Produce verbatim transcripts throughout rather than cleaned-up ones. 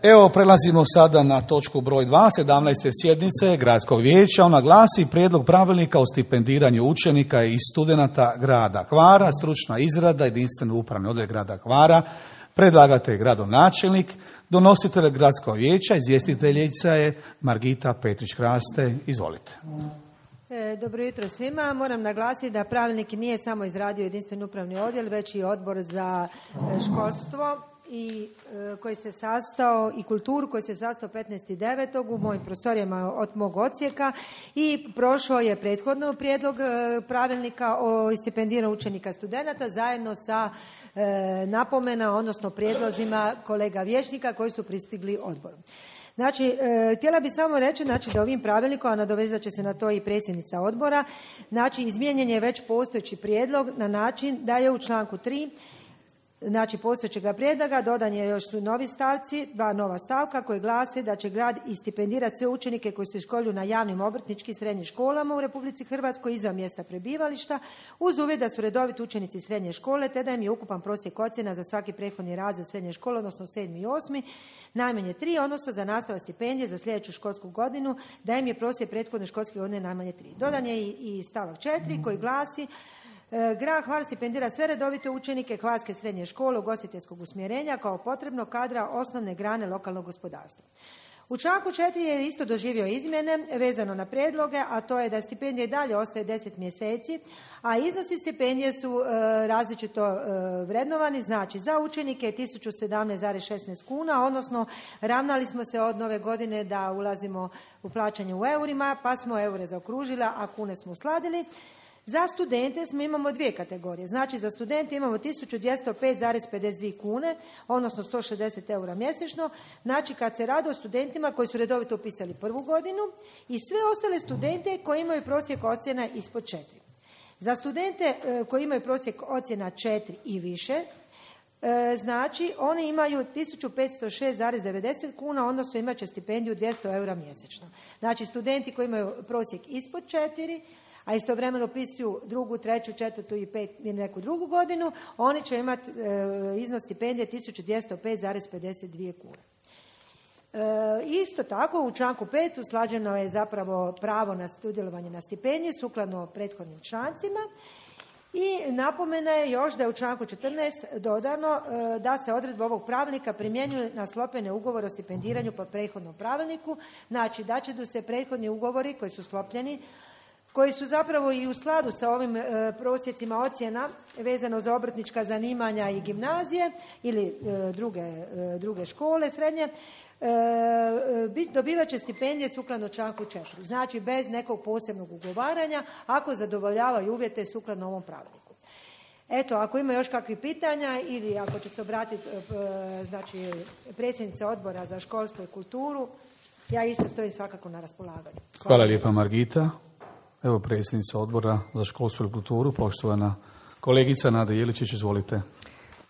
Evo, prelazimo sada na točku broj dva, sedamnaeste sjednice Gradskog vijeća. Ona glasi prijedlog pravilnika o stipendiranju učenika i studenata grada Hvara, stručna izrada, jedinstveni upravni odjel grada Hvara, predlagatelj gradonačelnik, donositelj Gradskog vijeća, izvjestiteljica je Margita Petrić-Kraste. Izvolite. Dobro jutro svima. Moram naglasiti da pravilnik nije samo izradio jedinstveni upravni odjel, već i odbor za školstvo i koji se sastao i kulturu koji se sastao petnaestog devetog u mojim prostorijama od mog odsjeka i prošao je prethodno prijedlog pravilnika o stipendiranju učenika studenata zajedno sa e, napomena, odnosno prijedlozima kolega vijećnika koji su pristigli odboru. Znači, e, htjela bih samo reći znači, da ovim pravilnikom, a nadovezat će se na to i predsjednica odbora, znači izmijenjen je već postojeći prijedlog na način da je u članku tri znači postojećega prijedloga dodan je još su novi stavci, dva nova stavka koji glase da će grad i stipendirati sve učenike koji se školuju na javnim obrtničkim srednjim školama u Republici Hrvatskoj izvan mjesta prebivališta uz uvjet da su redoviti učenici srednje škole te da im je ukupan prosjek ocjena za svaki prethodni razred srednje škole, odnosno sedmi i osmi, najmanje tri, odnosno za nastavak stipendije za sljedeću školsku godinu da im je prosjek prethodne školske godine najmanje tri. Dodan je i, i stavak četiri koji glasi grad Hvar stipendira sve redovite učenike Hvarske srednje škole ugostiteljskog usmjerenja kao potrebnog kadra osnovne grane lokalnog gospodarstva. U članku četiri je isto doživio izmjene vezano na prijedloge, a to je da stipendija i dalje ostaje deset mjeseci, a iznosi stipendije su e, različito e, vrednovani, znači za učenike tisuću sedamnaest zarez šesnaest kuna, odnosno ravnali smo se od nove godine da ulazimo u plaćanje u eurima, pa smo eure zaokružili, a kune smo sladili. Za studente smo imamo dvije kategorije. Znači za studente imamo tisuću dvjesto pet zarez pedeset dvije kune, odnosno sto šezdeset eura mjesečno. Znači kad se radi o studentima koji su redovito upisali prvu godinu i sve ostale studente koji imaju prosjek ocjena ispod četiri. Za studente koji imaju prosjek ocjena četiri i više, znači oni imaju tisuću petsto šest zarez devedeset kuna, odnosno imat će stipendiju dvjesto eura mjesečno. Znači studenti koji imaju prosjek ispod četiri, a istovremeno upisuju drugu, treću, četvrtu i pet ili neku drugu godinu, oni će imati e, iznos stipendije tisuću dvjesto pet zarez pedeset dvije kune. E, isto tako u članku pet usklađeno je zapravo pravo na sudjelovanje na stipendiji sukladno prethodnim člancima i napomena je još da je u članku četrnaest dodano e, da se odredba ovog pravilnika primjenjuje na sklopljene ugovore o stipendiranju po prethodnom pravilniku, znači da će se prethodni ugovori koji su sklopljeni koji su zapravo i u skladu sa ovim e, prosjecima ocjena vezano za obrtnička zanimanja i gimnazije ili e, druge, e, druge škole srednje, e, dobivat će stipendije sukladno članku četiri. Znači bez nekog posebnog ugovaranja ako zadovoljavaju uvjete sukladno ovom pravilniku. Eto, ako ima još kakvih pitanja ili ako će se obratiti e, znači, predsjednica odbora za školstvo i kulturu, ja isto stojim svakako na raspolaganju. Hvala, Hvala lijepa Margita. Evo predsjednica odbora za školstvo i kulturu, poštovana kolegica Nada Jeličić, izvolite.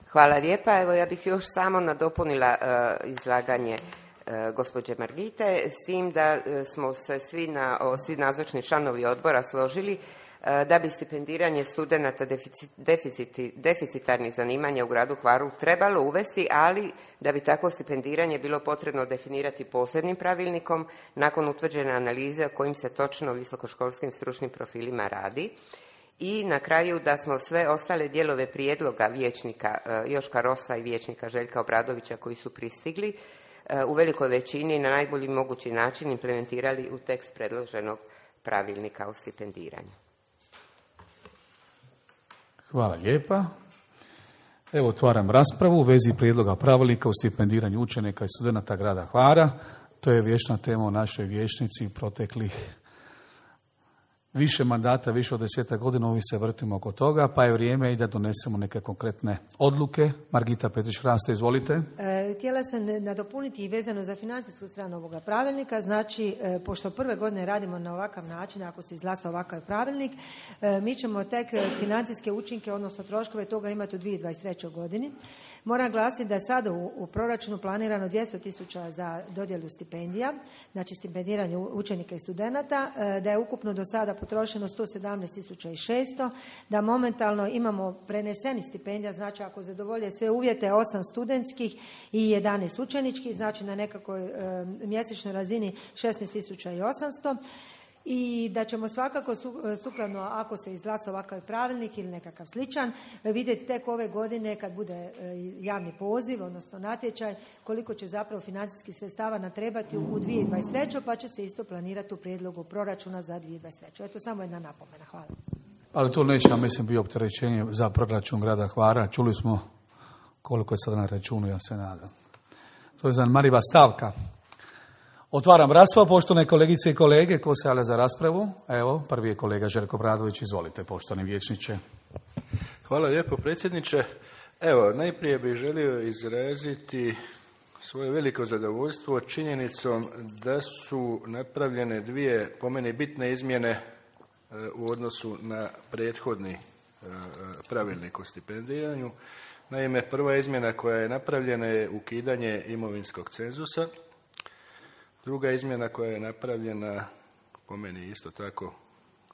Hvala lijepa. Evo ja bih još samo nadopunila uh, izlaganje uh, gospođe Margite, s tim da uh, smo se svi, na, o, svi nazočni članovi odbora složili uh, da bi stipendiranje studenata deficit, deficiti, deficitarnih zanimanja u gradu Hvaru trebalo uvesti, ali da bi takvo stipendiranje bilo potrebno definirati posebnim pravilnikom nakon utvrđene analize o kojim se točno visokoškolskim stručnim profilima radi. I na kraju da smo sve ostale dijelove prijedloga vijećnika Joška Rosa i vijećnika Željka Obradovića koji su pristigli u velikoj većini na najbolji mogući način implementirali u tekst predloženog pravilnika o stipendiranju. Hvala lijepa. Evo otvaram raspravu u vezi prijedloga pravilnika o stipendiranju učenika i studenata grada Hvara. To je vječna tema o našoj vijećnici proteklih više mandata, više od desetak godina, ovi se vrtimo oko toga, pa je vrijeme i da donesemo neke konkretne odluke. Margita Petrić-Kraste, izvolite. E, htjela sam nadopuniti i vezano za financijsku stranu ovoga pravilnika, znači, e, pošto prve godine radimo na ovakav način, ako se izglasa ovakav pravilnik, e, mi ćemo tek financijske učinke, odnosno troškove toga imati u dvije tisuće dvadeset trećoj godini. Moram glasiti da je sada u, u proračunu planirano dvjesto tisuća za dodjelu stipendija, znači stipendiranje učenika i studenata, da je ukupno do sada potrošeno sto sedamnaest tisuća šesto, da momentalno imamo preneseni stipendija, znači ako zadovolje sve uvjete, osam studentskih i jedanaest učeničkih, znači na nekakvoj e, mjesečnoj razini šesnaest tisuća osamsto. I da ćemo svakako sukladno, ako se izglasa ovakav pravilnik ili nekakav sličan, vidjeti tek ove godine kad bude javni poziv, odnosno natječaj, koliko će zapravo financijskih sredstava natrebati u dvije tisuće dvadeset trećoj. pa će se isto planirati u prijedlogu proračuna za dvije tisuće dvadeset treću. Eto, samo jedna napomena. Hvala. Ali to neće, ja mislim, bio opterećenje za proračun grada Hvara. Čuli smo koliko je sada na računu, ja se nadam. To je zanimljiva stavka. Otvaram raspravu, poštovane kolegice i kolege. Ko se javlja za raspravu? Evo, prvi je kolega Željko Obradović. Izvolite, poštovani vijećniče. Hvala lijepo, predsjedniče. Evo, najprije bih želio izraziti svoje veliko zadovoljstvo činjenicom da su napravljene dvije, po meni, bitne izmjene u odnosu na prethodni pravilnik o stipendiranju. Naime, prva izmjena koja je napravljena je ukidanje imovinskog cenzusa. Druga izmjena koja je napravljena, po meni isto tako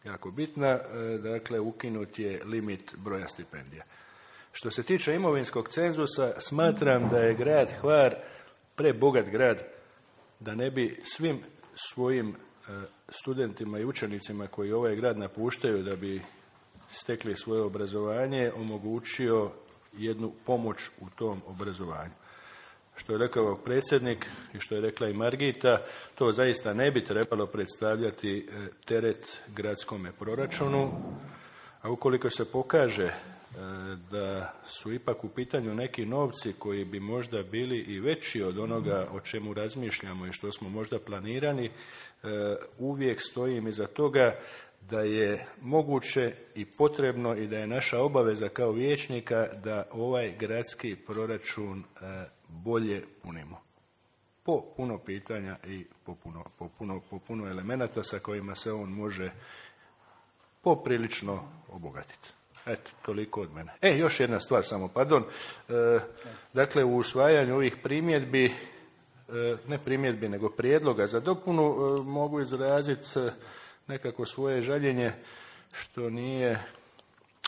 jako bitna, dakle ukinut je limit broja stipendija. Što se tiče imovinskog cenzusa, smatram da je grad Hvar prebogat grad da ne bi svim svojim studentima i učenicima koji ovaj grad napuštaju da bi stekli svoje obrazovanje omogućio jednu pomoć u tom obrazovanju. Što je rekao predsjednik i što je rekla i Margita, to zaista ne bi trebalo predstavljati teret gradskome proračunu, a ukoliko se pokaže da su ipak u pitanju neki novci koji bi možda bili i veći od onoga o čemu razmišljamo i što smo možda planirani, uvijek stojim iza toga da je moguće i potrebno i da je naša obaveza kao vijećnika da ovaj gradski proračun bolje punimo. Po puno pitanja i po puno, po puno, po puno elemenata sa kojima se on može poprilično obogatiti. Eto, toliko od mene. E, još jedna stvar samo, pardon. E, dakle, u usvajanju ovih primjedbi, e, ne primjedbi, nego prijedloga za dopunu, e, mogu izraziti e, nekako svoje žaljenje što nije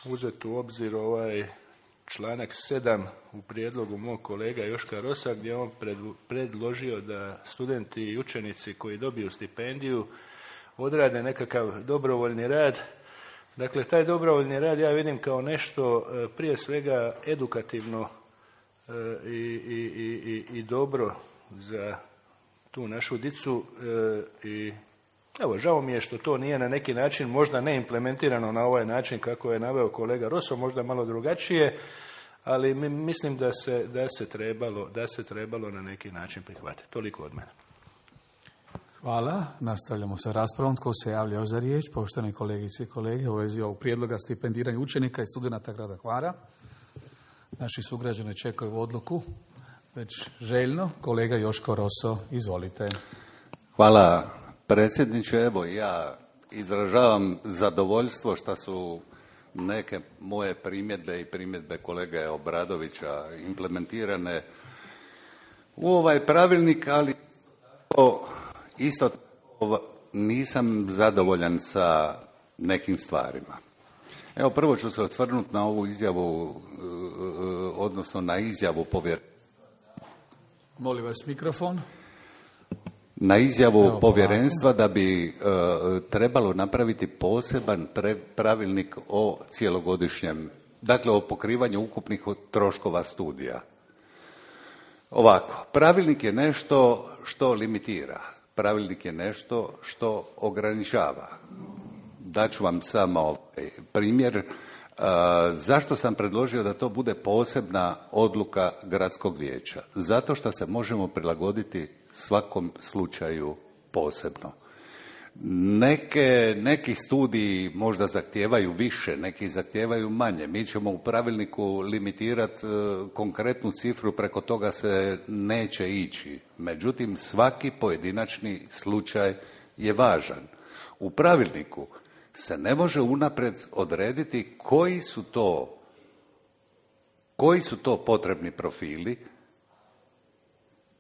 uzet u obzir ovaj članak sedam u prijedlogu mog kolega Joška Rosa, gdje on predložio da studenti i učenici koji dobiju stipendiju odrade nekakav dobrovoljni rad. Dakle, taj dobrovoljni rad ja vidim kao nešto prije svega edukativno i, i, i, i dobro za tu našu dicu i evo, žao mi je što to nije na neki način možda ne implementirano na ovaj način kako je naveo kolega Roso, možda malo drugačije, ali mislim da se, da se, trebalo, da se trebalo na neki način prihvatiti. Toliko od mene. Hvala. Nastavljamo sa raspravom. Tko se javlja za riječ? Poštovani kolegice i kolege, u vezi ovog prijedloga stipendiranja učenika i studenata grada Hvara. Naši sugrađani čekaju odluku već željno. Kolega Joško Roso, izvolite. Hvala predsjedniče. Evo, ja izražavam zadovoljstvo što su neke moje primjedbe i primjedbe kolege Obradovića implementirane u ovaj pravilnik, ali isto tako nisam zadovoljan sa nekim stvarima. Evo, prvo ću se osvrnuti na ovu izjavu, odnosno na izjavu povjerenstva. Molim vas mikrofon. Na izjavu Evo, povjerenstva da bi e, trebalo napraviti poseban pre, pravilnik o cijelogodišnjem, dakle o pokrivanju ukupnih troškova studija. Ovako, pravilnik je nešto što limitira, pravilnik je nešto što ograničava. Daću vam samo ovaj primjer. E, zašto sam predložio da to bude posebna odluka gradskog vijeća? Zato što se možemo prilagoditi svakom slučaju posebno. Neke, neki studiji možda zahtijevaju više, neki zahtijevaju manje. Mi ćemo u pravilniku limitirati e, konkretnu cifru, preko toga se neće ići. Međutim, svaki pojedinačni slučaj je važan. U pravilniku se ne može unaprijed odrediti koji su to koji su to potrebni profili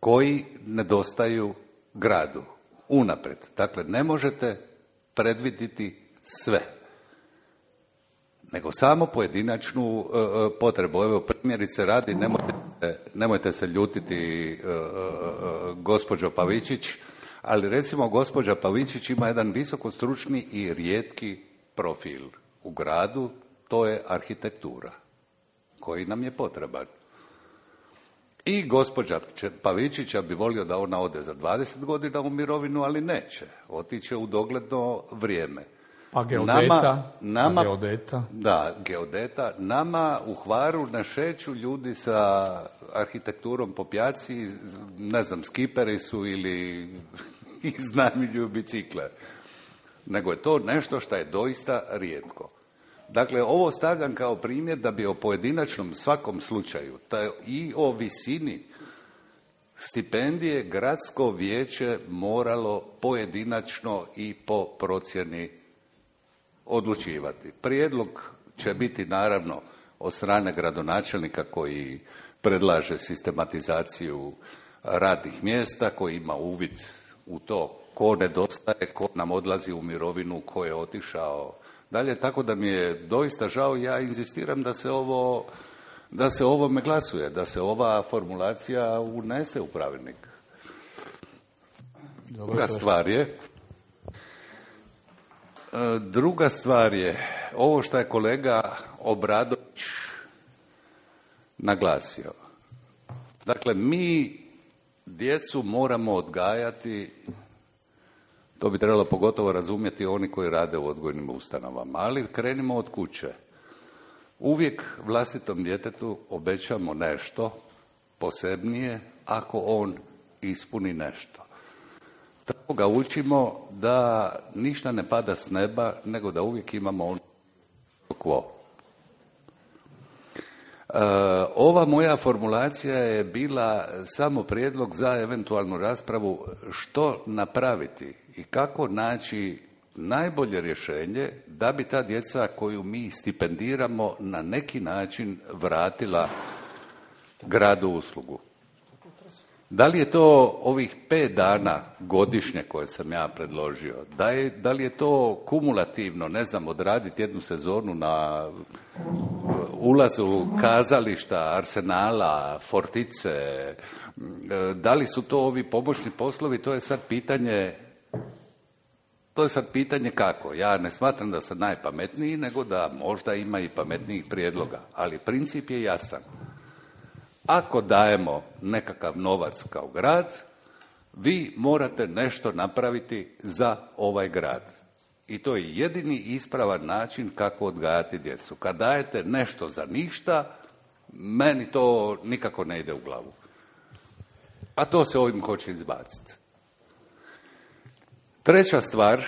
koji nedostaju gradu unaprijed. Dakle, ne možete predvidjeti sve, nego samo pojedinačnu uh, potrebu. Evo, primjerice radi, nemojte, nemojte se ljutiti uh, uh, gospođo Pavičić, ali recimo gospođa Pavičić ima jedan visokostručni i rijetki profil u gradu, to je arhitektura, koji nam je potreban. I gospođa Pavičića bi volio da ona ode za dvadeset godina u mirovinu, ali neće. Otiće u dogledno vrijeme. Pa geodeta. Nama, nama, pa geodeta. Da, geodeta. Nama u Hvaru ne šeću ljudi sa arhitekturom po pjaci, ne znam, skiperi su ili iznajmljuju bicikle. Nego je to nešto što je doista rijetko. Dakle, ovo stavljam kao primjer da bi o pojedinačnom svakom slučaju taj, i o visini stipendije gradsko vijeće moralo pojedinačno i po procjeni odlučivati. Prijedlog će biti naravno od strane gradonačelnika koji predlaže sistematizaciju radnih mjesta, koji ima uvid u to ko nedostaje, ko nam odlazi u mirovinu, ko je otišao dalje, tako da mi je doista žao, ja inzistiram da se ovo, da se ovome glasuje, da se ova formulacija unese u pravilnik. Druga stvar je, druga stvar je, ovo što je kolega Obradović naglasio. Dakle, mi djecu moramo odgajati, to bi trebalo pogotovo razumjeti oni koji rade u odgojnim ustanovama, ali krenimo od kuće. Uvijek vlastitom djetetu obećamo nešto posebnije ako on ispuni nešto. Tako ga učimo da ništa ne pada s neba, nego da uvijek imamo ono quo. E, ova moja formulacija je bila samo prijedlog za eventualnu raspravu što napraviti i kako naći najbolje rješenje da bi ta djeca koju mi stipendiramo na neki način vratila gradu uslugu. Da li je to ovih pet dana godišnje koje sam ja predložio? Da, je, da li je to kumulativno, ne znam, odraditi jednu sezonu na ulazu kazališta, Arsenala, Fortice? Da li su to ovi pomoćni poslovi? To je sad pitanje, to je sad pitanje kako. Ja ne smatram da sam najpametniji, nego da možda ima i pametnijih prijedloga. Ali princip je jasan. Ako dajemo nekakav novac kao grad, vi morate nešto napraviti za ovaj grad. I to je jedini ispravan način kako odgajati djecu. Kad dajete nešto za ništa, meni to nikako ne ide u glavu. A to se ovim hoće izbaciti. Treća stvar,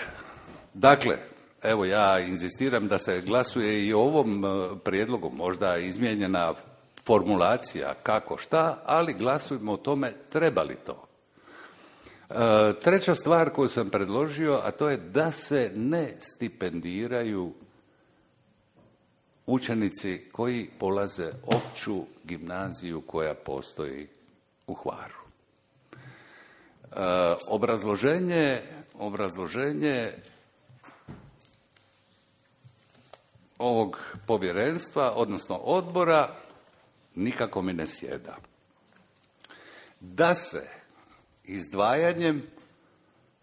dakle, evo ja inzistiram da se glasuje i o ovom prijedlogu, možda izmijenjena formulacija kako šta, ali glasujemo o tome treba li to. E, treća stvar koju sam predložio, a to je da se ne stipendiraju učenici koji polaze opću gimnaziju koja postoji u Hvaru. E, obrazloženje, obrazloženje ovog povjerenstva, odnosno odbora, nikako mi ne sjeda. Da se izdvajanjem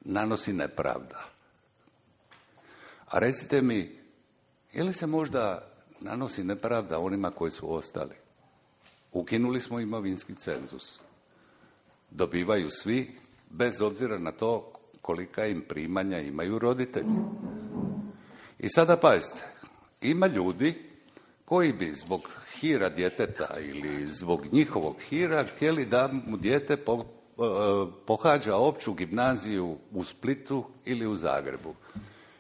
nanosi nepravda. A recite mi, je li se možda nanosi nepravda onima koji su ostali? Ukinuli smo imovinski cenzus. Dobivaju svi, bez obzira na to kolika im primanja imaju roditelji. I sada pazite, ima ljudi koji bi zbog hira djeteta ili zbog njihovog hira htjeli da mu dijete po, pohađa opću gimnaziju u Splitu ili u Zagrebu.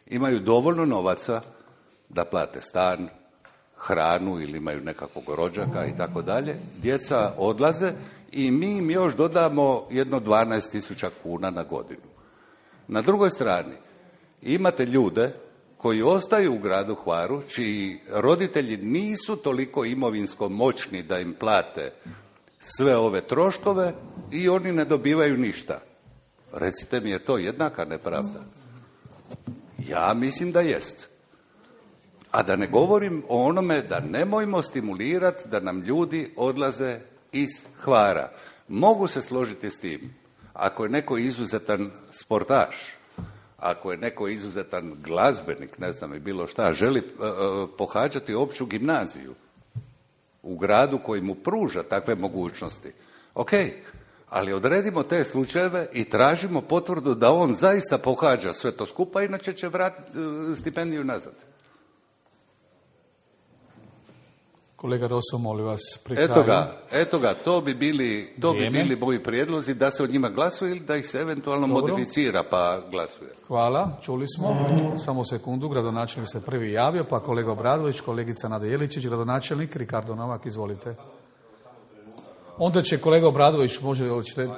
Imaju dovoljno novaca da plate stan, hranu ili imaju nekakvog rođaka i tako dalje. Djeca odlaze i mi im još dodamo jedno dvanaest tisuća kuna na godinu. Na drugoj strani imate ljude koji ostaju u gradu Hvaru, čiji roditelji nisu toliko imovinsko moćni da im plate sve ove troškove i oni ne dobivaju ništa. Recite mi, je to jednaka nepravda? Ja mislim da jest. A da ne govorim o onome da nemojmo stimulirati da nam ljudi odlaze iz Hvara. Mogu se složiti s tim. Ako je neko izuzetan sportaš, ako je neko izuzetan glazbenik, ne znam i bilo šta, želi uh, pohađati opću gimnaziju u gradu koji mu pruža takve mogućnosti. Ok, ali odredimo te slučajeve i tražimo potvrdu da on zaista pohađa sve to skupa, inače će vratiti uh, stipendiju nazad. Kolega Roso, molim vas, pri kraju. Eto ga, eto ga, to bi bili, to bi bili moji prijedlozi da se od njima glasuje ili da ih se eventualno Dobro. modificira pa glasuje. Hvala, čuli smo. Samo sekundu, gradonačelnik se prvi javio, pa kolega Obradović, kolegica Nada Jeličić, gradonačelnik, Ricardo Novak, izvolite. Onda će kolega Obradović, može, hoćete,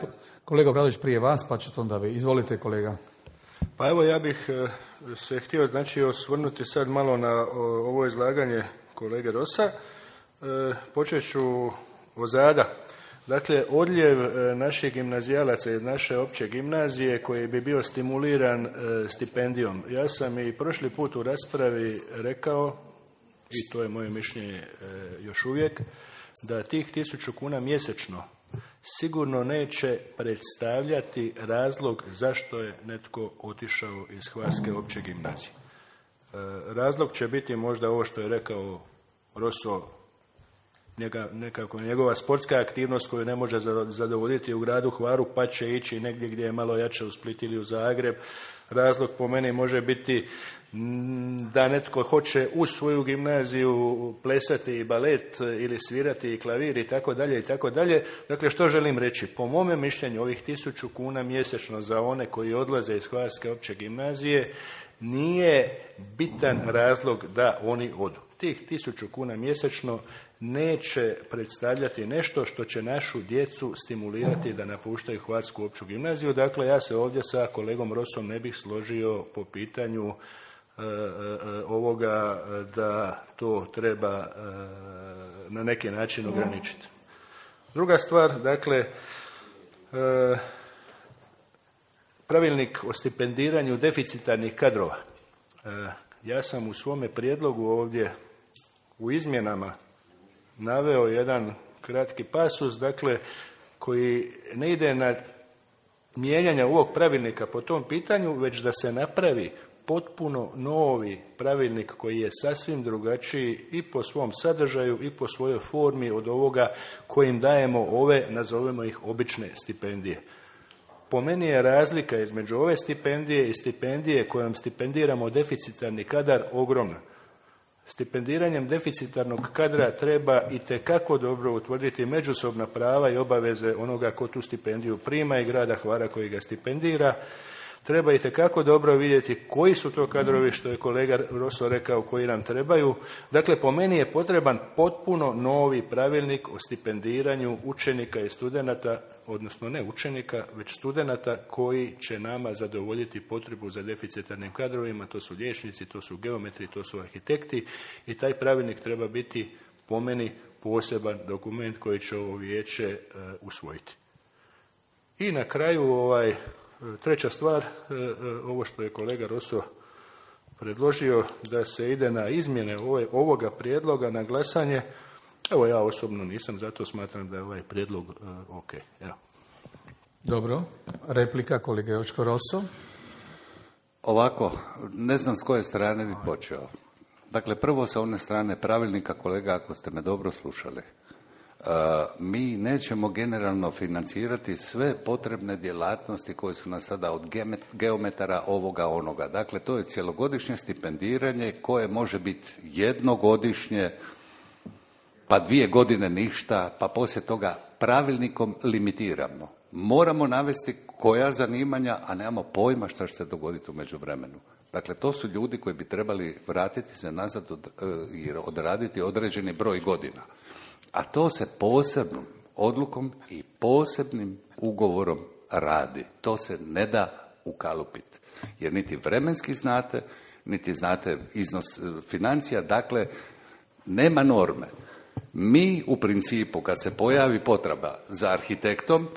kolega Obradović prije vas, pa ćete onda vi. Izvolite, kolega. Pa evo, ja bih se htio, znači, osvrnuti sad malo na ovo izlaganje kolege Rosa. E, počet ću ozada. Dakle, odljev naših gimnazijalaca iz naše opće gimnazije koji bi bio stimuliran e, stipendijom. Ja sam i prošli put u raspravi rekao, i to je moje mišljenje e, još uvijek, da tih tisuću kuna mjesečno sigurno neće predstavljati razlog zašto je netko otišao iz Hvarske opće gimnazije. E, razlog će biti možda ovo što je rekao Roso, njega, nekako njegova sportska aktivnost koju ne može zadovoljiti u gradu Hvaru, pa će ići negdje gdje je malo jače, u Split ili u Zagreb. Razlog po meni može biti da netko hoće u svoju gimnaziju plesati i balet ili svirati i klavir i tako dalje i tako dalje. Dakle, što želim reći? Po mome mišljenju ovih tisuću kuna mjesečno za one koji odlaze iz Hvarske opće gimnazije nije bitan razlog da oni odu. Tih tisuću kuna mjesečno neće predstavljati nešto što će našu djecu stimulirati da napuštaju Hvarsku opću gimnaziju. Dakle, ja se ovdje sa kolegom Rosom ne bih složio po pitanju e, e, ovoga da to treba e, na neki način ograničiti. Druga stvar, dakle, e, pravilnik o stipendiranju deficitarnih kadrova. E, ja sam u svome prijedlogu ovdje u izmjenama naveo jedan kratki pasus, dakle, koji ne ide na mijenjanje ovog pravilnika po tom pitanju, već da se napravi potpuno novi pravilnik koji je sasvim drugačiji i po svom sadržaju i po svojoj formi od ovoga kojim dajemo ove, nazovemo ih, obične stipendije. Po meni je razlika između ove stipendije i stipendije kojom stipendiramo deficitarni kadar ogromna. Stipendiranjem deficitarnog kadra treba itekako dobro utvrditi međusobna prava i obaveze onoga ko tu stipendiju prima i grada Hvara koji ga stipendira. Treba itekako dobro vidjeti koji su to kadrovi, što je kolega Roso rekao, koji nam trebaju. Dakle, po meni je potreban potpuno novi pravilnik o stipendiranju učenika i studenata, odnosno ne učenika, već studenata koji će nama zadovoljiti potrebu za deficitarnim kadrovima. To su liječnici, to su geometri, to su arhitekti i taj pravilnik treba biti po meni poseban dokument koji će ovo vijeće uh, usvojiti. I na kraju ovaj treća stvar, ovo što je kolega Roso predložio da se ide na izmjene ovoga prijedloga na glasanje, evo ja osobno nisam, zato smatram da je ovaj prijedlog uh, ok. Evo. Dobro, replika kolega Jočko Roso. Ovako, ne znam s koje strane bi počeo. Dakle, prvo sa one strane pravilnika, kolega, ako ste me dobro slušali. Uh, mi nećemo generalno financirati sve potrebne djelatnosti koje su nas sada od geometara ovoga onoga. Dakle, to je cjelogodišnje stipendiranje koje može biti jednogodišnje, pa dvije godine ništa, pa poslije toga pravilnikom limitiramo. Moramo navesti koja zanimanja, a nemamo pojma šta će se dogoditi u međuvremenu. Dakle, to su ljudi koji bi trebali vratiti se nazad od, i odraditi određeni broj godina. A to se posebnom odlukom i posebnim ugovorom radi. To se ne da ukalupiti. Jer niti vremenski znate, niti znate iznos financija, dakle, nema norme. Mi u principu, kad se pojavi potreba za arhitektom,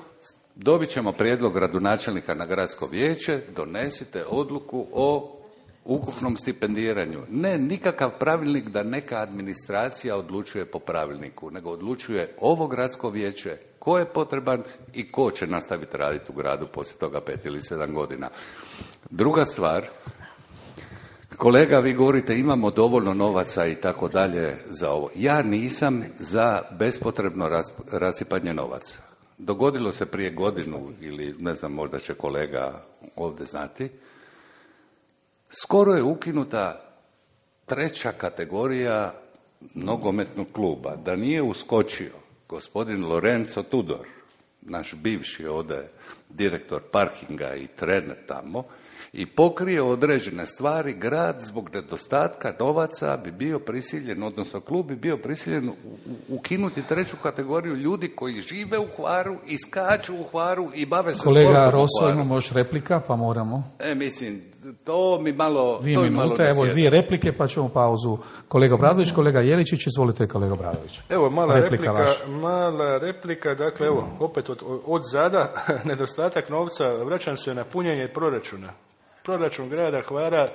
dobit ćemo prijedlog gradonačelnika na gradsko vijeće, donesite odluku o ukupnom stipendiranju. Ne nikakav pravilnik da neka administracija odlučuje po pravilniku, nego odlučuje ovo gradsko vijeće ko je potreban i ko će nastaviti raditi u gradu poslije toga pet ili sedam godina. Druga stvar, kolega, vi govorite imamo dovoljno novaca i tako dalje za ovo. Ja nisam za bespotrebno rasipanje novaca. Dogodilo se prije godinu ili ne znam, možda će kolega ovdje znati, skoro je ukinuta treća kategorija nogometnog kluba. Da nije uskočio gospodin Lorenzo Tudor, naš bivši ovdje direktor parkinga i trener tamo, i pokrije određene stvari, grad zbog nedostatka novaca bi bio prisiljen, odnosno klub bi bio prisiljen ukinuti treću kategoriju ljudi koji žive u Hvaru, iskaču u Hvaru i bave se sportom u Hvaru. Kolega Roso, imamo još replika, pa moramo. E, mislim, to mi malo... Dvije to minute, evo dvije replike, pa ćemo pauzu. Kolega Bradović, kolega Jeličić, izvolite kolega Bradović. Evo, mala replika, replika mala replika, dakle, evo, opet od, od zada, nedostatak novca, vraćam se na punjenje proračuna. Proračun grada Hvara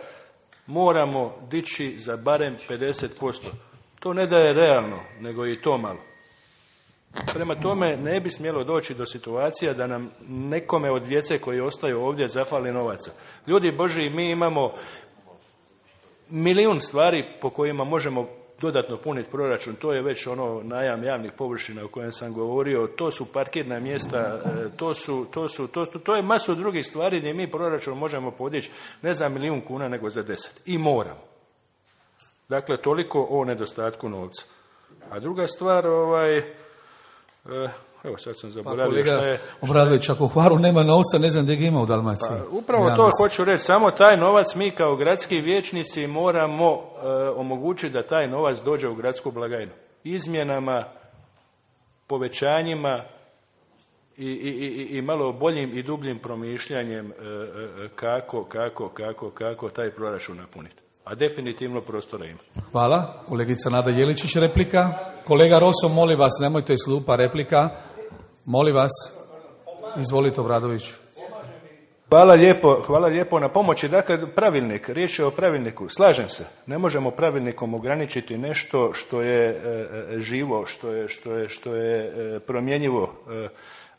moramo dići za barem pedeset posto. To ne da je realno, nego i to malo. Prema tome ne bi smjelo doći do situacija da nam nekome od djece koji ostaju ovdje zafali novaca. Ljudi Božji, mi imamo milijun stvari po kojima možemo dodatno puniti proračun. To je već ono najam javnih površina o kojem sam govorio, to su parkirna mjesta, to su, to su, to, to je masu drugih stvari gdje mi proračun možemo podići ne za milijun kuna nego za deset. I moramo. Dakle, toliko o nedostatku novca. A druga stvar, ovaj, evo sad sam zaboravio pa, šta je... Obradović, ako u Hvaru nema novca, ne znam gdje ga ima u Dalmaciji. Pa, upravo ja to mislim. Hoću reći, samo taj novac mi kao gradski vijećnici moramo e, omogućiti da taj novac dođe u gradsku blagajnu. Izmjenama, povećanjima i, i, i, i malo boljim i dubljim promišljanjem e, e, kako, kako, kako, kako taj proračun napuniti. A definitivno prostora ima. Hvala. Kolegica Nada Jeličić, replika. Kolega Roso, molim vas, nemojte iz klupa, replika. Molim vas. Izvolite, Obradović. Hvala lijepo, hvala lijepo na pomoći. Dakle, pravilnik, riječ je o pravilniku. Slažem se. Ne možemo pravilnikom ograničiti nešto što je e, živo, što je, što je, što je e, promjenjivo. E,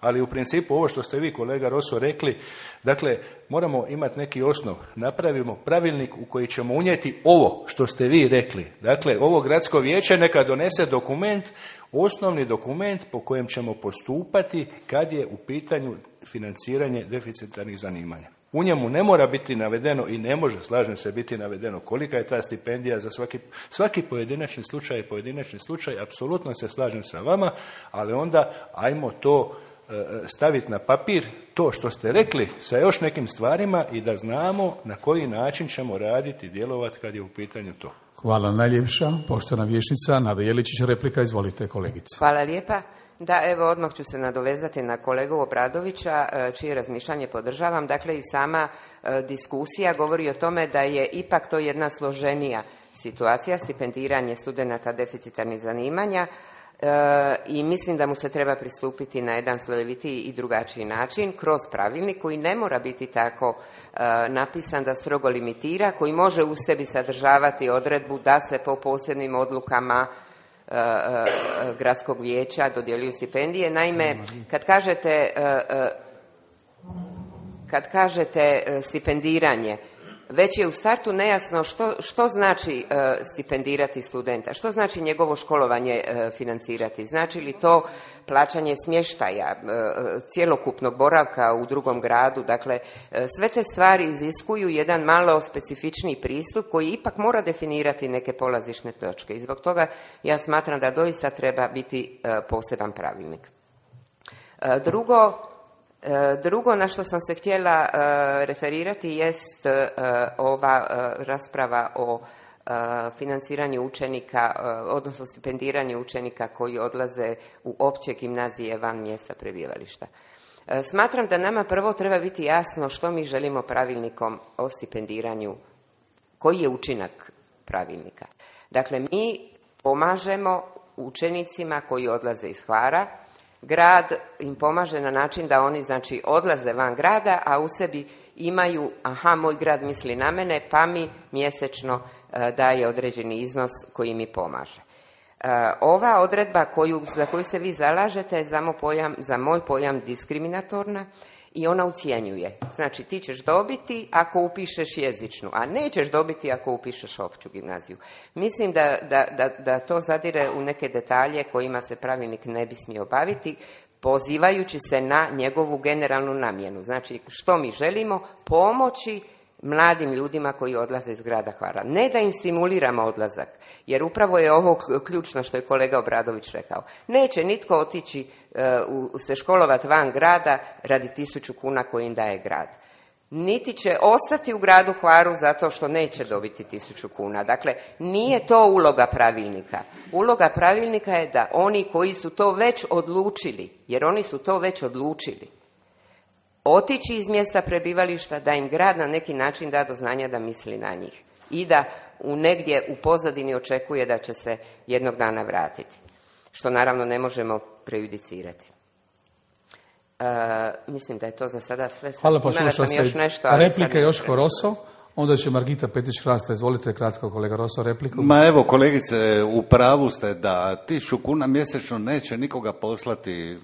ali u principu ovo što ste vi, kolega Roso, rekli, dakle, moramo imati neki osnov. Napravimo pravilnik u koji ćemo unijeti ovo što ste vi rekli. Dakle, ovo gradsko vijeće neka donese dokument, osnovni dokument po kojem ćemo postupati kad je u pitanju financiranje deficitarnih zanimanja. U njemu ne mora biti navedeno i ne može, slažem se, biti navedeno kolika je ta stipendija za svaki, svaki pojedinačni slučaj, pojedinačni slučaj, apsolutno se slažem sa vama, ali onda ajmo to staviti na papir, to što ste rekli sa još nekim stvarima i da znamo na koji način ćemo raditi i djelovati kad je u pitanju to. Hvala najljepša. Poštovana vijećnica Nada Jeličić, replika, izvolite kolegice. Hvala lijepa. Da, evo odmah ću se nadovezati na kolegu Obradovića, čije razmišljanje podržavam. Dakle, i sama e, diskusija govori o tome da je ipak to jedna složenija situacija, stipendiranje studenata deficitarnih zanimanja. E, i mislim da mu se treba pristupiti na jedan slojevitiji i drugačiji način kroz pravilnik koji ne mora biti tako e, napisan da strogo limitira, koji može u sebi sadržavati odredbu da se po posebnim odlukama e, e, gradskog vijeća dodjeljuju stipendije. Naime, kad kažete e, e, kad kažete stipendiranje, već je u startu nejasno što, što znači e, stipendirati studenta, što znači njegovo školovanje e, financirati. Znači li to plaćanje smještaja, e, cjelokupnog boravka u drugom gradu. Dakle, e, sve te stvari iziskuju jedan malo specifičniji pristup koji ipak mora definirati neke polazišne točke. I zbog toga ja smatram da doista treba biti e, poseban pravilnik. E, drugo, Drugo na što sam se htjela uh, referirati jest uh, ova uh, rasprava o uh, financiranju učenika, uh, odnosno stipendiranju učenika koji odlaze u opće gimnazije van mjesta prebivališta. Uh, smatram da nama prvo treba biti jasno što mi želimo pravilnikom o stipendiranju Koji je učinak pravilnika? Dakle, mi pomažemo učenicima koji odlaze iz Hvara, grad im pomaže na način da oni znači odlaze van grada, a u sebi imaju, aha, moj grad misli na mene, pa mi mjesečno e, daje određeni iznos koji mi pomaže. E, ova odredba koju, za koju se vi zalažete je za moj pojam, za moj pojam diskriminatorna i ona ucjenjuje. Znači, ti ćeš dobiti ako upišeš jezičnu, a nećeš dobiti ako upišeš opću gimnaziju. Mislim da, da, da, da to zadire u neke detalje kojima se pravilnik ne bi smio baviti, pozivajući se na njegovu generalnu namjenu. Znači, što mi želimo? Pomoći mladim ljudima koji odlaze iz grada Hvara. Ne da im stimuliramo odlazak, jer upravo je ovo ključno što je kolega Obradović rekao. Neće nitko otići uh, se školovati van grada radi tisuću kuna koji im daje grad. Niti će ostati u gradu Hvaru zato što neće dobiti tisuću kuna. Dakle, nije to uloga pravilnika. Uloga pravilnika je da oni koji su to već odlučili, jer oni su to već odlučili, otići iz mjesta prebivališta, da im grad na neki način da do znanja da misli na njih i da u negdje u pozadini očekuje da će se jednog dana vratiti, što naravno ne možemo prejudicirati. Uh, mislim da je to za sada sve. Hvala, pa imala sam još nešto. Replike Joško Roso, onda će Margita Petić-Hrasta. Izvolite kratko, kolega Roso, repliku. Ma evo, kolegice, u pravu ste da tisuću kuna mjesečno neće nikoga poslati,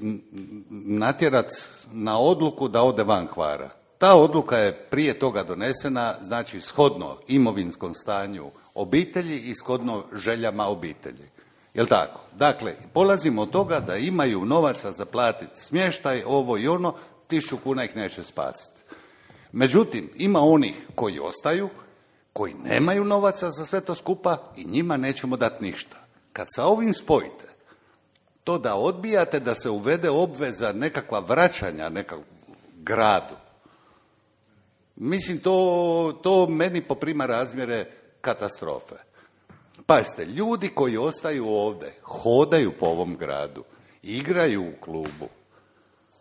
natjerat na odluku da ode van Hvara. Ta odluka je prije toga donesena, znači shodno imovinskom stanju obitelji i shodno željama obitelji. Jel' tako? Dakle, polazimo od toga da imaju novaca za platiti smještaj, ovo i ono, tisuću kuna ih neće spasiti. Međutim, ima onih koji ostaju, koji nemaju novaca za sve to skupa i njima nećemo dati ništa. Kad sa ovim spojite, to da odbijate da se uvede obveza nekakva vraćanja nekakvom gradu, mislim, to, to meni poprima razmjere katastrofe. Pazite, ljudi koji ostaju ovdje, hodaju po ovom gradu, igraju u klubu,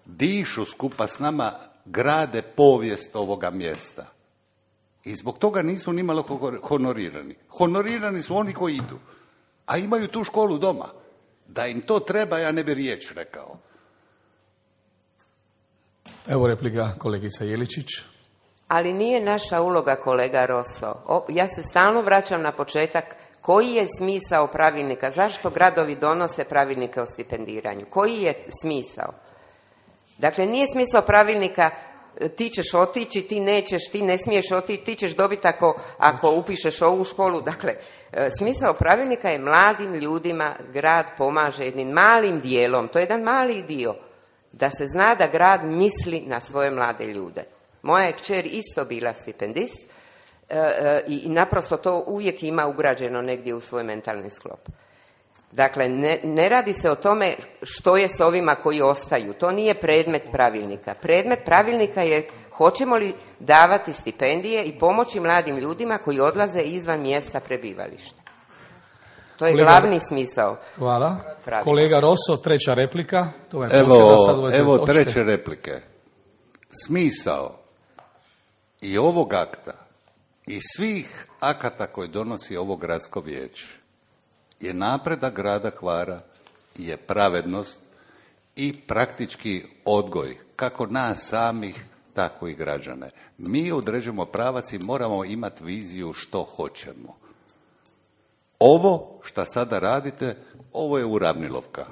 dišu skupa s nama, grade povijest ovoga mjesta. I zbog toga nisu nimalo honorirani. Honorirani su oni koji idu, a imaju tu školu doma. Da im to treba, ja ne bi riječ rekao. Evo replika kolegica Jeličić. Ali nije naša uloga, kolega Roso. O, ja se stalno vraćam na početak. Koji je smisao pravilnika? Zašto gradovi donose pravilnike o stipendiranju? Koji je smisao? Dakle, nije smisao pravilnika ti ćeš otići, ti nećeš, ti ne smiješ otići, ti ćeš dobiti ako, ako upišeš ovu školu. Dakle, smisao pravilnika je mladim ljudima grad pomaže jednim malim dijelom, to je jedan mali dio, da se zna da grad misli na svoje mlade ljude. Moja je kćer isto bila stipendist i naprosto to uvijek ima ugrađeno negdje u svoj mentalni sklop. Dakle, ne, ne radi se o tome što je s ovima koji ostaju. To nije predmet pravilnika. Predmet pravilnika je hoćemo li davati stipendije i pomoći mladim ljudima koji odlaze izvan mjesta prebivališta. To je Kolega, glavni smisao. Hvala. Pravilnika. Kolega Roso, treća replika. To je evo, sad evo treće replike. Smisao i ovog akta i svih akata koji donosi ovo gradsko vijeće je napredak grada Hvara, je pravednost i praktički odgoj, kako nas samih, tako i građane. Mi određujemo pravac i moramo imati viziju što hoćemo. Ovo što sada radite, ovo je uravnilovka.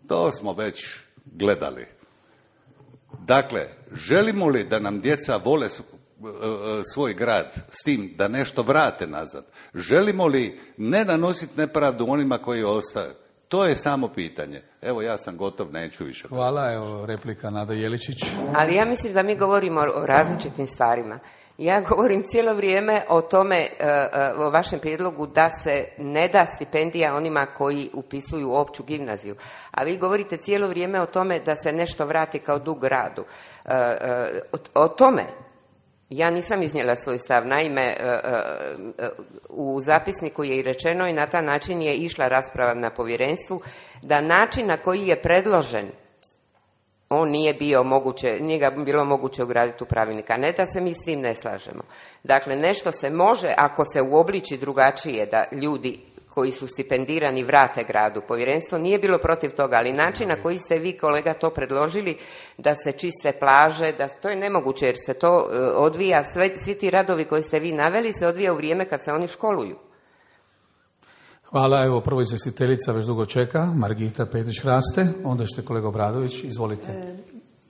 To smo već gledali. Dakle, želimo li da nam djeca vole svoj grad s tim da nešto vrate nazad? Želimo li ne nanositi nepravdu onima koji ostaju? To je samo pitanje. Evo, ja sam gotov, neću više. Hvala, evo replika Nada Jeličić. Ali ja mislim da mi govorimo o različitim stvarima. Ja govorim cijelo vrijeme o tome, o vašem prijedlogu da se ne da stipendija onima koji upisuju opću gimnaziju. A vi govorite cijelo vrijeme o tome da se nešto vrati kao dug gradu. O tome ja nisam iznijela svoj stav. Naime, u zapisniku je i rečeno i na taj način je išla rasprava na povjerenstvu da način na koji je predložen on nije bio moguće, nije ga bilo moguće ugraditi u pravilnik, a ne da se mi s tim ne slažemo. Dakle, nešto se može, ako se uobliči drugačije, da ljudi koji su stipendirani vrate gradu. Povjerenstvo nije bilo protiv toga, ali način na koji ste vi, kolega, to predložili, da se čiste plaže, da to je nemoguće, jer se to odvija, sve, svi ti radovi koji ste vi naveli se odvija u vrijeme kad se oni školuju. Hvala, evo prvo izvjestiteljica već dugo čeka, Margita Petić-Hraste, onda ćete kolega Obradović, izvolite. E,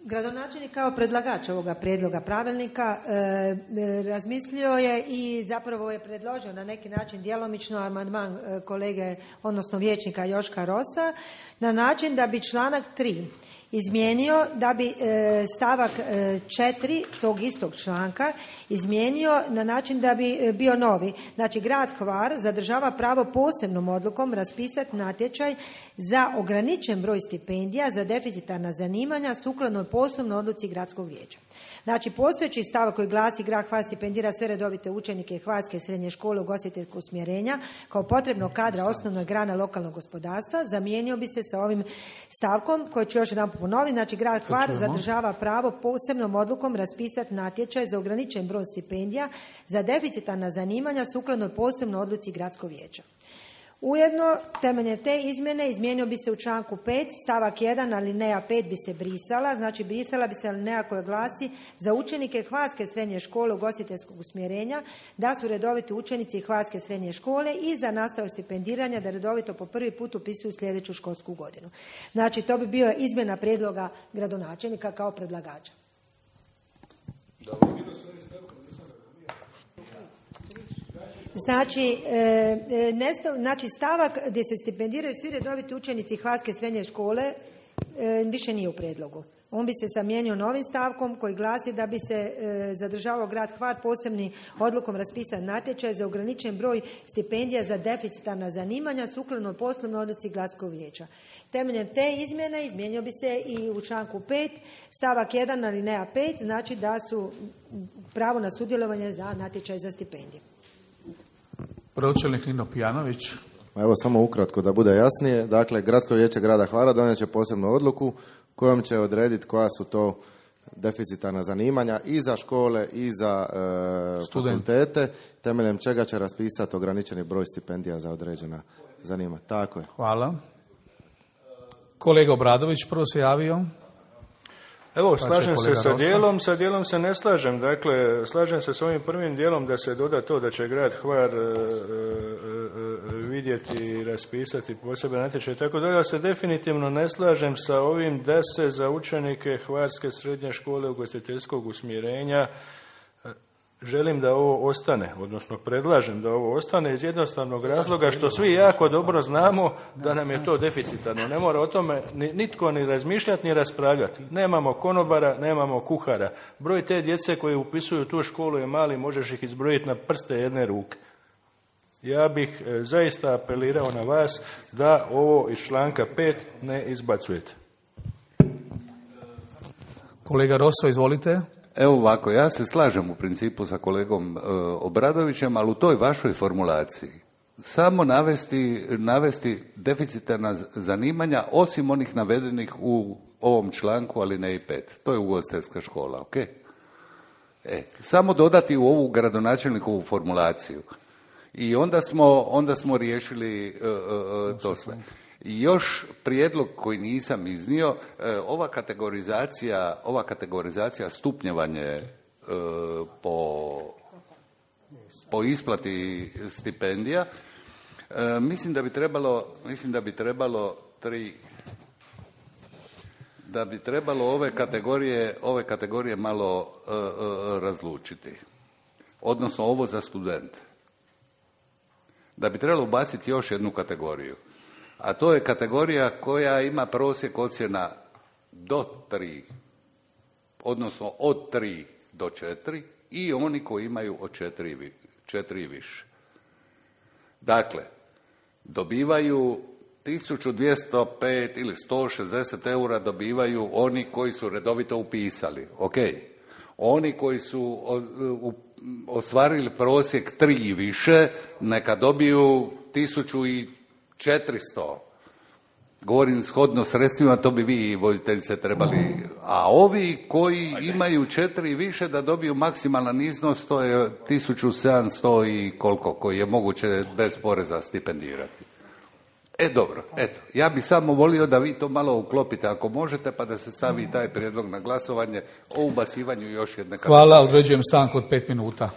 gradonačelnik kao predlagač ovoga prijedloga pravilnika e, e, razmislio je i zapravo je predložio na neki način djelomično amandman e, kolege, odnosno vijećnika Joška Rosa, na način da bi članak tri izmijenio, da bi e, stavak e, četiri tog istog članka izmijenio na način da bi e, bio novi. Znači, grad Hvar zadržava pravo posebnom odlukom raspisati natječaj za ograničen broj stipendija za deficitarna zanimanja sukladno poslovnoj odluci gradskog vijeća. Znači, postojeći stavak koji glasi grad Hvar stipendira sve redovite učenike Hvarske srednje škole ugostiteljskog usmjerenja kao potrebnog kadra osnovnoj grane lokalnog gospodarstva zamijenio bi se sa ovim stavkom koji ću još jedan ponoviti. Znači, grad Hvar zadržava pravo posebnom odlukom raspisati natječaj za ograničen broj stipendija za deficitarna zanimanja sukladno posebnoj odluci gradskog vijeća. Ujedno, temeljem te izmjene izmijenio bi se u članku pet, stavak jedan, alineja pet bi se brisala, znači brisala bi se alineja koja glasi za učenike Hvarske srednje škole ugostiteljskog usmjerenja da su redoviti učenici Hvarske srednje škole i za nastavu stipendiranja da redovito po prvi put upisuju sljedeću školsku godinu. Znači, to bi bio izmjena prijedloga gradonačelnika kao predlagača. Znači, e, nestav, znači stavak gdje se stipendiraju svi redoviti učenici Hvarske srednje škole e, više nije u prijedlogu. On bi se zamijenio novim stavkom koji glasi da bi se e, zadržavao grad Hvar posebni odlukom raspisan natječaj za ograničen broj stipendija za deficitarna zanimanja sukladno poslovnoj odluci gradskog vijeća. Temeljem te izmjene izmijenio bi se i u članku pet, stavak jedan, alineja pet, znači da su pravo na sudjelovanje za natječaj za stipendije. Pročelnik Nino Pijanović. Evo samo ukratko da bude jasnije. Dakle, Gradsko vijeće grada Hvara donijet će posebnu odluku kojom će odrediti koja su to deficitarna zanimanja i za škole i za e, fakultete, temeljem čega će raspisati ograničeni broj stipendija za određena zanimanja. Tako je. Hvala. Kolega Obradović prvo se javio. Evo, slažem se sa dijelom, sa dijelom se ne slažem. Dakle, slažem se s ovim prvim dijelom da se doda to da će grad Hvar e, e, e, vidjeti i raspisati posebne natječaje. Tako da ja se definitivno ne slažem sa ovim da se za učenike Hvarske srednje škole ugostiteljskog usmjerenja želim da ovo ostane, odnosno predlažem da ovo ostane iz jednostavnog razloga što svi jako dobro znamo da nam je to deficitarno. Ne mora o tome nitko ni razmišljati ni raspravljati. Nemamo konobara, nemamo kuhara. Broj te djece koji upisuju tu školu je mali, možeš ih izbrojiti na prste jedne ruke. Ja bih e, zaista apelirao na vas da ovo iz članka pet ne izbacujete. Kolega Rosso, izvolite. Evo ovako, ja se slažem u principu sa kolegom e, Obradovićem, ali u toj vašoj formulaciji samo navesti, navesti deficitarna zanimanja osim onih navedenih u ovom članku alineji pet. To je ugostiteljska škola, ok? E, samo dodati u ovu gradonačelnikovu formulaciju. I onda smo, onda smo riješili e, e, to sve. I još prijedlog koji nisam iznio, ova kategorizacija, ova kategorizacija stupnjevanje po, po isplati stipendija, mislim da bi trebalo, mislim da bi trebalo tri, da bi trebalo ove kategorije, ove kategorije malo razlučiti. Odnosno ovo za studente. Da bi trebalo ubaciti još jednu kategoriju. A to je kategorija koja ima prosjek ocjena do tri, odnosno od tri do četiri i oni koji imaju od četiri, četiri i više. Dakle, dobivaju tisuću dvjesto pet ili sto šezdeset eura dobivaju oni koji su redovito upisali, ok. Oni koji su ostvarili prosjek tri i više, neka dobiju tisuću i četiristo, Govorim shodno sredstvima, to bi vi i voditeljice trebali, a ovi koji imaju četiri i više da dobiju maksimalan iznos, to je tisuću sedamsto i koliko, koji je moguće bez poreza stipendirati. E dobro, eto, ja bih samo volio da vi to malo uklopite ako možete, pa da se stavi taj prijedlog na glasovanje o ubacivanju još jedne kategorije. Hvala, određujem stanku od pet minuta.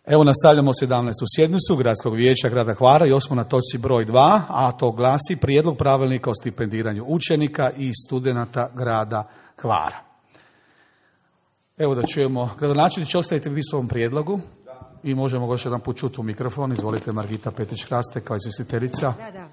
Evo nastavljamo sedamnaestu sjednicu Gradskog vijeća grada Hvara i još smo na točci broj dva, a to glasi prijedlog pravilnika o stipendiranju učenika i studenata grada Hvara. Evo da čujemo, gradonačelniče, ostavite vi svom prijedlogu i možemo ga još jedan put čuti u mikrofon. Izvolite, Margita Petrić-Hraste kao izvjestiteljica. Da, da.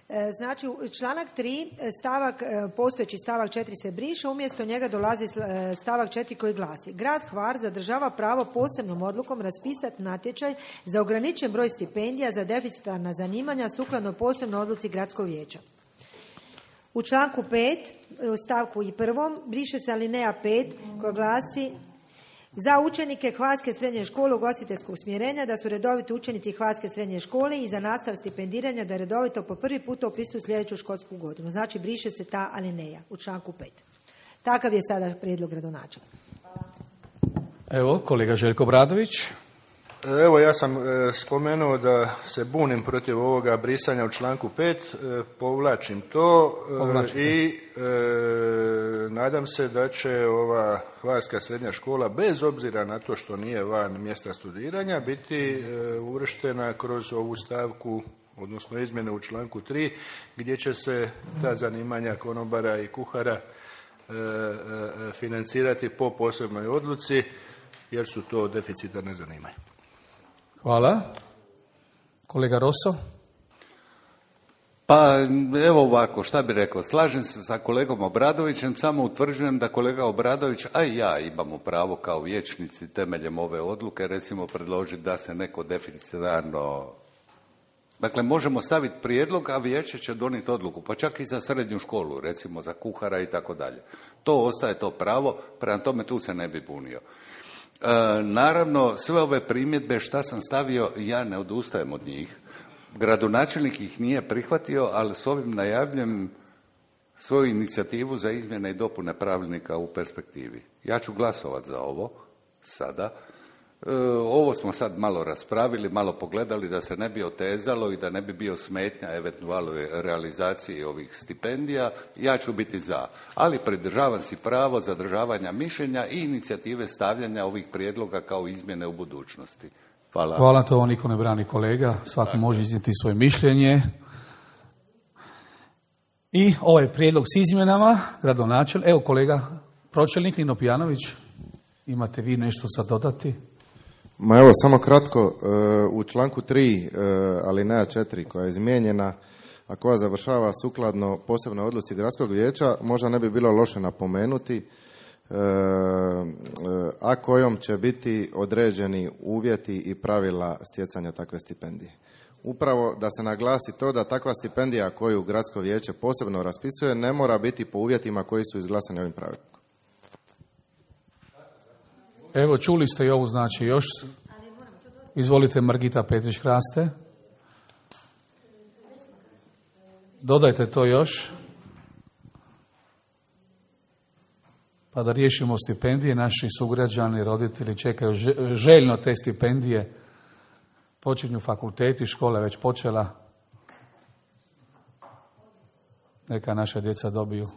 E, Znači, članak tri, stavak, e, postojeći stavak četiri se briše, umjesto njega dolazi e, stavak četiri koji glasi: Grad Hvar zadržava pravo posebnom odlukom raspisati natječaj za ograničen broj stipendija za deficitarna zanimanja sukladno posebnoj odluci Gradskog vijeća. U članku pet, u stavku i prvom, briše se alineja pet koja glasi: za učenike Hvarske srednje škole ugostiteljskog usmjerenja da su redoviti učenici Hvarske srednje škole i za nastav stipendiranja da redovito po prvi puta upisuju sljedeću školsku godinu. Znači, briše se ta alineja u članku pet. Takav je sada prijedlog gradonačelnika. Evo, kolega Željko Bradović. Evo, ja sam e, spomenuo da se bunim protiv ovoga brisanja u članku pet, e, povlačim to e, i e, nadam se da će ova Hvarska srednja škola, bez obzira na to što nije van mjesta studiranja, biti e, uvrštena kroz ovu stavku, odnosno izmjene u članku tri, gdje će se ta zanimanja konobara i kuhara e, e, financirati po posebnoj odluci, jer su to deficitarne zanimanja. Hvala. Kolega Rosso. Pa evo ovako, šta bi rekao, slažem se sa kolegom Obradovićem, samo utvrđujem da kolega Obradović, a i ja imamo pravo kao vijećnici temeljem ove odluke, recimo predložiti da se neko deficitarno, dakle možemo staviti prijedlog, a vijeće će donijeti odluku, pa čak i za srednju školu, recimo za kuhara i tako dalje. To ostaje to pravo, prema tome tu se ne bi bunio. E, naravno, sve ove primjedbe šta sam stavio, ja ne odustajem od njih. Gradonačelnik ih nije prihvatio, ali s ovim najavljujem svoju inicijativu za izmjene i dopune pravilnika u perspektivi. Ja ću glasovati za ovo sada. E, ovo smo sad malo raspravili, malo pogledali da se ne bi otezalo i da ne bi bio smetnja eventualnoj realizaciji ovih stipendija. Ja ću biti za, ali pridržavam si pravo zadržavanja mišljenja i inicijative stavljanja ovih prijedloga kao izmjene u budućnosti. Hvala. Hvala, to niko ne brani kolega, svako može iznijeti svoje mišljenje. I ovaj prijedlog s izmjenama, gradonačelnik, evo kolega pročelnik Nino Pijanović, imate vi nešto sad dodati? Ma evo, samo kratko, u članku tri, alineja četiri koja je izmijenjena, a koja završava sukladno posebnoj odluci Gradskog vijeća, možda ne bi bilo loše napomenuti, a kojom će biti određeni uvjeti i pravila stjecanja takve stipendije. Upravo da se naglasi to da takva stipendija koju Gradsko vijeće posebno raspisuje ne mora biti po uvjetima koji su izglasani ovim pravilnikom. Evo, čuli ste i ovu, znači još. Izvolite, Margita Petrić-Hraste. Dodajte to još. Pa da riješimo stipendije, naši sugrađani, roditelji čekaju željno te stipendije. Počinju fakulteti, škola je već počela. Neka naša djeca dobiju.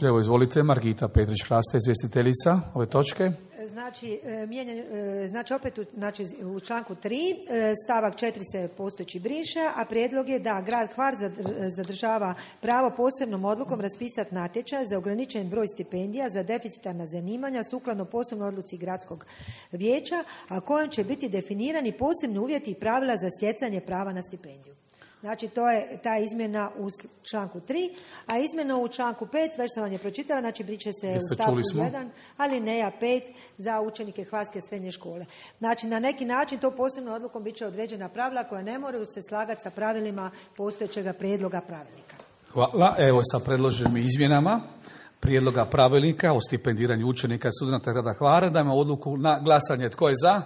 Evo, izvolite, Margita Petrić-Hraste, izvjestiteljica ove točke. Znači, mijenjan, znači opet u, znači, u članku tri stavak četiri se postojeći briše, a prijedlog je da grad Hvar zadržava pravo posebnom odlukom raspisati natječaj za ograničen broj stipendija za deficitarna zanimanja sukladno posebnoj odluci Gradskog vijeća, a kojom će biti definirani posebni uvjeti i pravila za stjecanje prava na stipendiju. Znači, to je ta izmjena u članku tri, a izmjena u članku pet, već sam vam je pročitala, znači briše se Jeste, u stavku jedan, alineja pet za učenike Hvarske srednje škole. Znači, na neki način to posebno odlukom bit će određena pravila koja ne moraju se slagati sa pravilima postojećega prijedloga pravilnika. Hvala. Evo, sa predloženim izmjenama prijedloga pravilnika o stipendiranju učenika i studenata grada Hvara. Dajmo odluku na glasanje. Tko je za?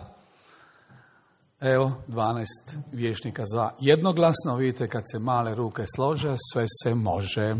Evo, dvanaest vijećnika za jednoglasno. Vidite, kad se male ruke slože, sve se može.